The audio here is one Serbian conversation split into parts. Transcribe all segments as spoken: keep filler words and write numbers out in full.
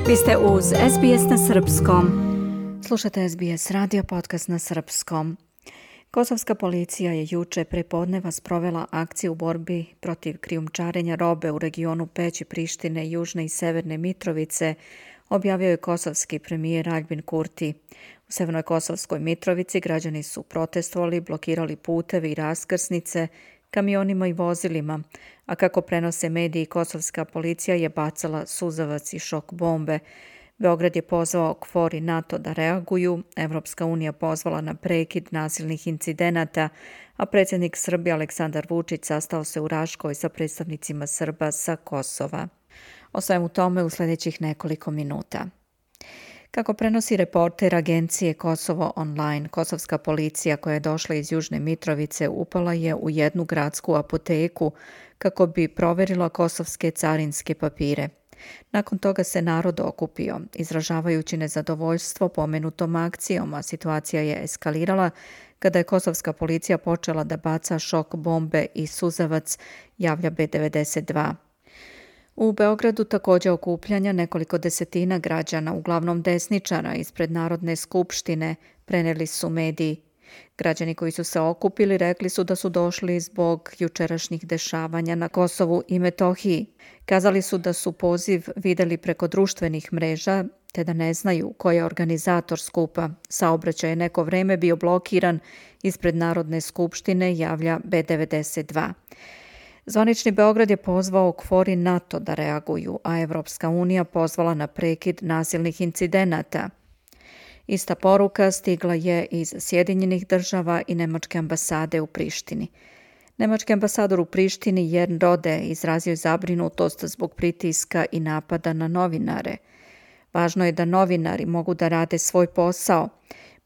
Vi ste uz S B S na srpskom. Slušate S B S radio podcast na srpskom. Kosovska policija je juče pre podneva sprovela akciju u borbi protiv krijumčarenja robe u regionu Peći, Prištine, Južne i Severne Mitrovice, objavio je kosovski premijer Aljbin Kurti. U Severnoj Kosovskoj Mitrovici građani su protestovali, blokirali puteve i raskrsnice kamionima i vozilima, a kako prenose mediji, kosovska policija je bacala suzavac i šok bombe. Beograd je pozvao KFOR i NATO da reaguju, Evropska unija pozvala na prekid nasilnih incidenata, a predsjednik Srbije Aleksandar Vučić sastao se u Raškoj sa predstavnicima Srba sa Kosova. O svemu tome u sljedećih nekoliko minuta. Kako prenosi reporter agencije Kosovo online, kosovska policija koja je došla iz Južne Mitrovice upala je u jednu gradsku apoteku kako bi proverila kosovske carinske papire. Nakon toga se narod okupio, izražavajući nezadovoljstvo pomenutom akcijom, a situacija je eskalirala kada je kosovska policija počela da baca šok bombe i suzavac, javlja B devedeset dva. U Beogradu također okupljanja nekoliko desetina građana, uglavnom desničara, ispred Narodne skupštine, prenijeli su mediji. Građani koji su se okupili rekli su da su došli zbog jučerašnjih dešavanja na Kosovu i Metohiji. Kazali su da su poziv vidjeli preko društvenih mreža, te da ne znaju ko je organizator skupa. Saobraćaj je neko vreme bio blokiran ispred Narodne skupštine, javlja B devedeset dva. Zvanični Beograd je pozvao KFOR i NATO da reaguju, a Evropska unija pozvala na prekid nasilnih incidenata. Ista poruka stigla je iz Sjedinjenih država i Nemačke ambasade u Prištini. Nemački ambasador u Prištini Jern Rode izrazio je zabrinutost zbog pritiska i napada na novinare. Važno je da novinari mogu da rade svoj posao.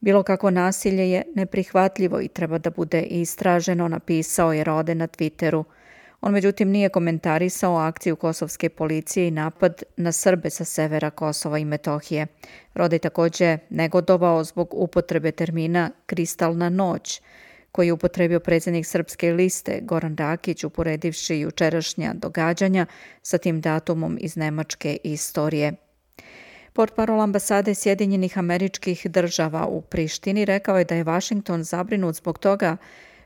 Bilo kako nasilje je neprihvatljivo i treba da bude istraženo, napisao je Rode na Twitteru. On međutim nije komentarisao akciju kosovske policije i napad na Srbe sa severa Kosova i Metohije. Rode je također negodovao zbog upotrebe termina kristalna noć, koji je upotrebio predsjednik Srpske liste Goran Rakić, uporedivši jučerašnja događanja sa tim datumom iz nemačke istorije. Portparol ambasade Sjedinjenih Američkih Država u Prištini rekao je da je Vašington zabrinut zbog toga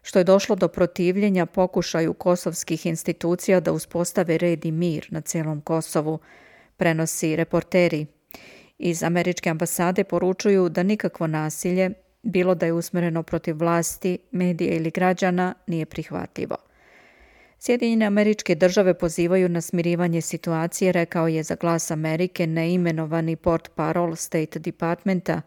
što je došlo do protivljenja pokušaju kosovskih institucija da uspostave red i mir na cijelom Kosovu, prenosi reporteri. Iz američke ambasade poručuju da nikakvo nasilje, bilo da je usmjereno protiv vlasti, medija ili građana, nije prihvatljivo. Sjedinjene Američke Države pozivaju na smirivanje situacije, rekao je za Glas Amerike neimenovani portparol State Departmenta.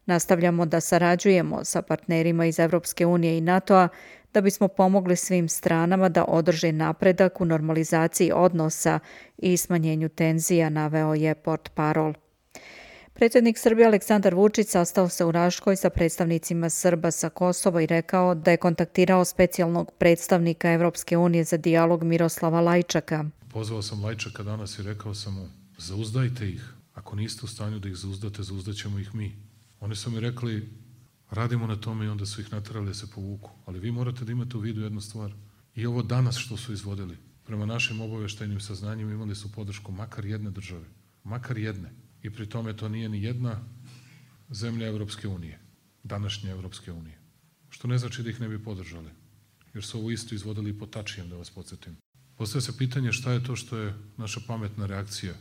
Nastavljamo da sarađujemo sa partnerima iz Evropske unije i NATO-a da bismo pomogli svim stranama da održe napredak u normalizaciji odnosa i smanjenju tenzija, naveo je portparol. Predsjednik Srbije Aleksandar Vučić sastao se u Raškoj sa predstavnicima Srba sa Kosova i rekao da je kontaktirao specijalnog predstavnika Evropske unije za dijalog Miroslava Lajčaka. Pozvao sam Lajčaka danas i rekao sam mu, zauzdajte ih. Ako niste u stanju da ih zauzdate, zauzdaćemo ih mi. Oni su mi rekli, radimo na tome i onda su ih naterali da se povuku. Ali vi morate da imate u vidu jednu stvar. I ovo danas što su izvodili, prema našim obaveštajnim saznanjima imali su podršku makar jedne države. Makar jedne. I pri tome to nije ni jedna zemlja Evropske unije. Današnje Evropske unije. Što ne znači da ih ne bi podržali. Jer su ovo isto izvodili po tačijem, da vas podsjetim. Postaje se pitanje šta je to što je naša pametna reakcija.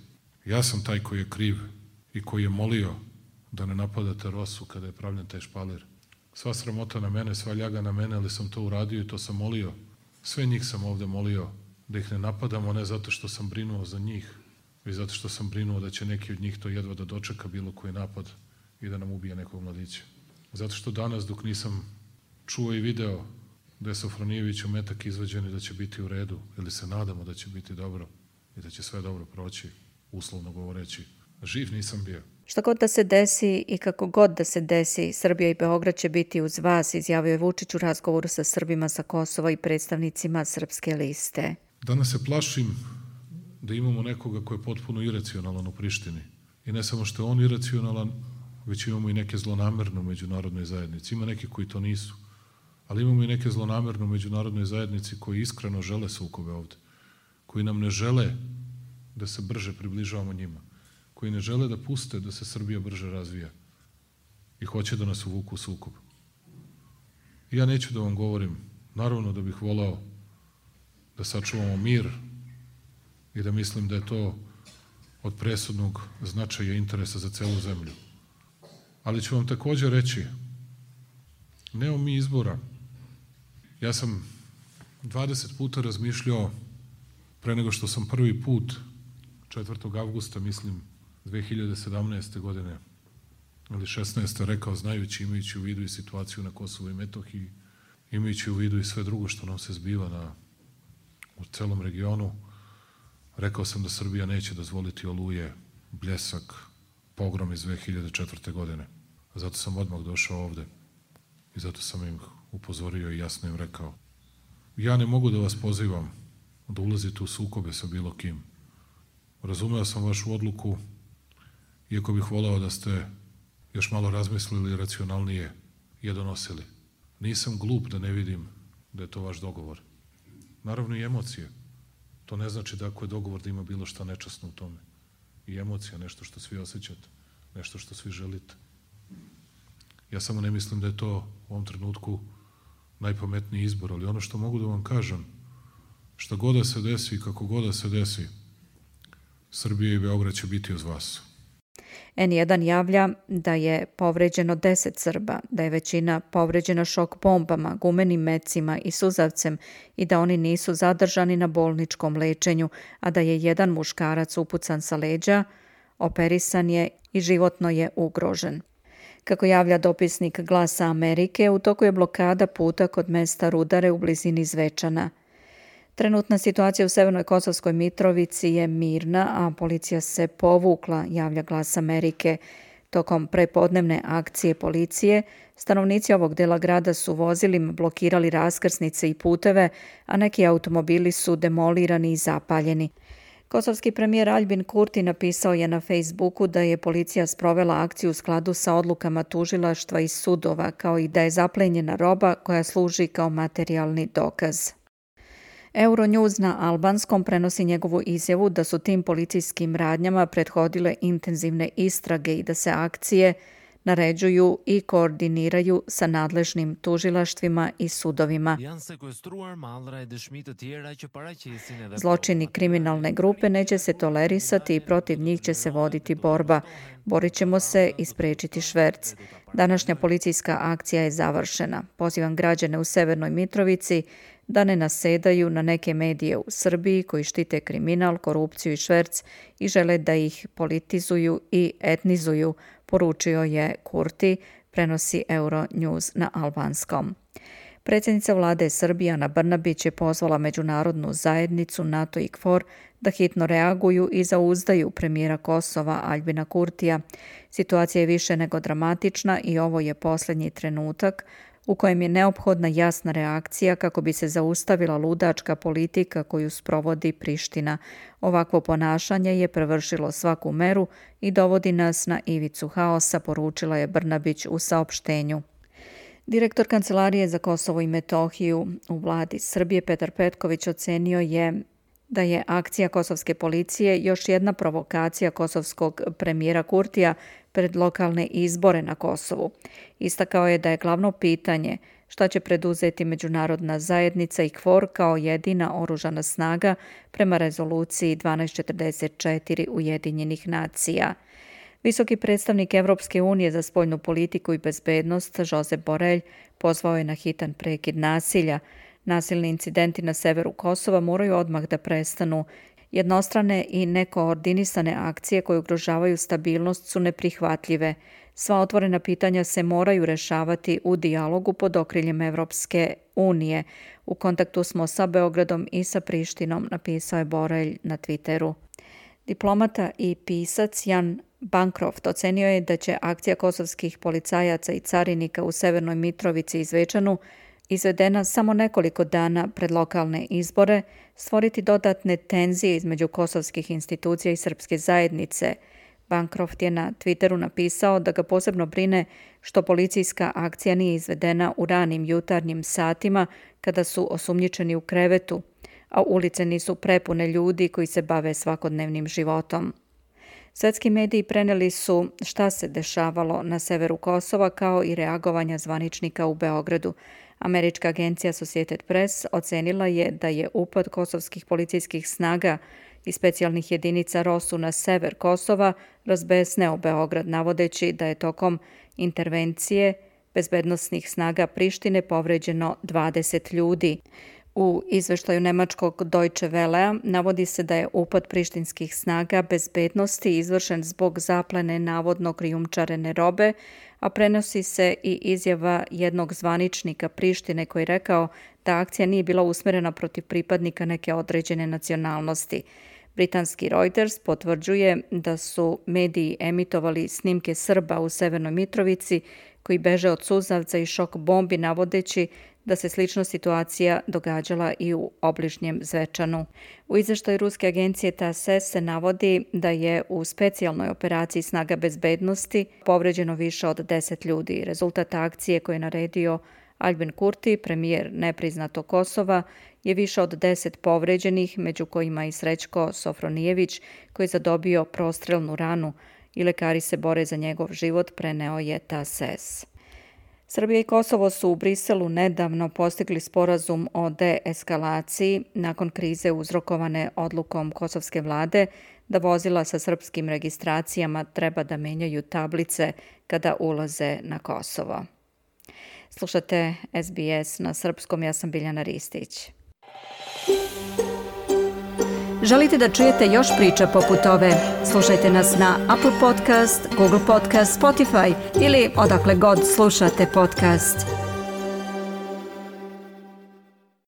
Ja sam taj koji je kriv i koji je molio da ne napadate Rosu kada je pravljen taj špalir. Sva sramota na mene, sva ljaga na mene, ali sam to uradio i to sam molio. Sve njih sam ovde molio da ih ne napadamo, ne zato što sam brinuo za njih, već zato što sam brinuo da će neki od njih to jedva da dočeka bilo koji napad i da nam ubije nekog mladića. Zato što danas, dok nisam čuo i video da je Sofronijeviću metak izvađen i da će biti u redu, ili se nadamo da će biti dobro i da će sve dobro proći, uslovno govoreći, živ nisam bio. Šta god da se desi i kako god da se desi, Srbija i Beograd će biti uz vas, izjavio je Vučić u razgovoru sa Srbima sa Kosova i predstavnicima Srpske liste. Danas se plašim da imamo nekoga ko je potpuno iracionalan u Prištini. I ne samo što je on iracionalan, već imamo i neke zlonamerne u međunarodnoj zajednici. Ima neki koji to nisu. Ali imamo i neke zlonamerne u međunarodnoj zajednici koji iskreno žele sukobe ovde. Koji nam ne žele da se brže približavamo njima. koji ne žele da puste da se Srbija brže razvija i hoće da nas uvuku u sukob. I ja neću da vam govorim, naravno da bih volao da sačuvamo mir i da mislim da je to od presudnog značaja i interesa za celu zemlju. Ali ću vam takođe reći, nemamo mi izbora. Ja sam dvadeset puta razmišljao pre nego što sam prvi put četvrtog avgusta, mislim, dve hiljade sedamnaeste. godine ili šesnaeste. rekao, znajući, imajući u vidu i situaciju na Kosovu i Metohiji, imajući u vidu i sve drugo što nam se zbiva na, u celom regionu, rekao sam da Srbija neće dozvoliti Oluje, Bljesak, pogrom iz dve hiljade četvrte. godine. Zato sam odmah došao ovde i zato sam im upozorio i jasno im rekao. Ja ne mogu da vas pozivam da ulazite u sukobe sa bilo kim. Razumeo sam vašu odluku, iako bih voleo da ste još malo razmislili i racionalnije je donosili. Nisam glup da ne vidim da je to vaš dogovor. Naravno i emocije. To ne znači da ako je dogovor da ima bilo šta nečasno u tome. I emocija, nešto što svi osjećate, nešto što svi želite. Ja samo ne mislim da je to u ovom trenutku najpametniji izbor, ali ono što mogu da vam kažem, šta god da se desi i kako god da se desi, Srbija i Beograd će biti uz vas. en jedan javlja da je povređeno deset Srba, da je većina povređena šok bombama, gumenim mecima i suzavcem i da oni nisu zadržani na bolničkom lečenju, a da je jedan muškarac upucan sa leđa, operisan je i životno je ugrožen. Kako javlja dopisnik Glasa Amerike, u toku je blokada puta kod mesta Rudare u blizini Zvečana. Trenutna situacija u Severnoj Kosovskoj Mitrovici je mirna, a policija se povukla, javlja Glas Amerike. Tokom prepodnevne akcije policije, stanovnici ovog dela grada su vozilima blokirali raskrsnice i puteve, a neki automobili su demolirani i zapaljeni. Kosovski premijer Aljbin Kurti napisao je na Facebooku da je policija sprovela akciju u skladu sa odlukama tužilaštva i sudova, kao i da je zaplenjena roba koja služi kao materijalni dokaz. Euronews na albanskom prenosi njegovu izjavu da su tim policijskim radnjama prethodile intenzivne istrage i da se akcije naređuju i koordiniraju sa nadležnim tužilaštvima i sudovima. Zločini kriminalne grupe neće se tolerisati i protiv njih će se voditi borba. Borit ćemo se i sprečiti šverc. Današnja policijska akcija je završena. Pozivam građane u Severnoj Mitrovici da ne nasedaju na neke medije u Srbiji koji štite kriminal, korupciju i šverc i žele da ih politizuju i etnizuju, poručio je Kurti, prenosi Euronews na albanskom. Predsjednica vlade Srbije Ana Brnabić je pozvala međunarodnu zajednicu NATO i KFOR da hitno reaguju i zauzdaju premijera Kosova Aljbina Kurtija. Situacija je više nego dramatična i ovo je posljednji trenutak u kojem je neophodna jasna reakcija kako bi se zaustavila ludačka politika koju sprovodi Priština. Ovakvo ponašanje je prevršilo svaku meru i dovodi nas na ivicu haosa, poručila je Brnabić u saopštenju. Direktor Kancelarije za Kosovo i Metohiju u vladi Srbije Petar Petković ocenio je da je akcija kosovske policije još jedna provokacija kosovskog premijera Kurtija pred lokalne izbore na Kosovu. Istakao je da je glavno pitanje šta će preduzeti međunarodna zajednica i KFOR kao jedina oružana snaga prema rezoluciji dvanaest četrdeset četiri Ujedinjenih nacija. Visoki predstavnik Evropske unije za spoljnu politiku i bezbednost Josep Borrell pozvao je na hitan prekid nasilja. Nasilni incidenti na severu Kosova moraju odmah da prestanu. Jednostrane i nekoordinisane akcije koje ugrožavaju stabilnost su neprihvatljive. Sva otvorena pitanja se moraju rešavati u dijalogu pod okriljem Evropske unije. U kontaktu smo sa Beogradom i sa Prištinom, napisao je Borrell na Twitteru. Diplomata i pisac Jan Bancroft ocenio je da će akcija kosovskih policajaca i carinika u Severnoj Mitrovici i Zvečanu, izvedena samo nekoliko dana pred lokalne izbore, stvoriti dodatne tenzije između kosovskih institucija i srpske zajednice. Bancroft je na Twitteru napisao da ga posebno brine što policijska akcija nije izvedena u ranim jutarnjim satima kada su osumnjičeni u krevetu, a ulice nisu prepune ljudi koji se bave svakodnevnim životom. Svetski mediji preneli su šta se dešavalo na severu Kosova kao i reagovanja zvaničnika u Beogradu. Američka agencija Associated Press ocenila je da je upad kosovskih policijskih snaga i specijalnih jedinica ROSU na sever Kosova razbesneo Beograd, navodeći da je tokom intervencije bezbednosnih snaga Prištine povređeno dvadeset ljudi. U izveštaju nemačkog Deutsche Wellea navodi se da je upad prištinskih snaga bezbednosti izvršen zbog zaplene navodno krijumčarene robe, a prenosi se i izjava jednog zvaničnika Prištine koji je rekao da akcija nije bila usmerena protiv pripadnika neke određene nacionalnosti. Britanski Reuters potvrđuje da su mediji emitovali snimke Srba u Severnoj Mitrovici koji beže od suzavca i šok bombi, navodeći da se slična situacija događala i u obližnjem Zvečanu. U izveštaju ruske agencije T A S S se navodi da je u specijalnoj operaciji snaga bezbednosti povređeno više od deset ljudi. Rezultat akcije koje je naredio Albin Kurti, premijer nepriznatog Kosova, je više od deset povređenih, među kojima i Srećko Sofronijević, koji je zadobio prostrelnu ranu i lekari se bore za njegov život, preneo je T A S S. Srbija i Kosovo su u Briselu nedavno postigli sporazum o deeskalaciji nakon krize uzrokovane odlukom kosovske vlade da vozila sa srpskim registracijama treba da menjaju tablice kada ulaze na Kosovo. Slušate S B S na srpskom, ja sam Biljana Ristić. Želite da čujete još priča poput ove? Slušajte nas na Apple Podcast, Google Podcast, Spotify ili odakle god slušate podcast.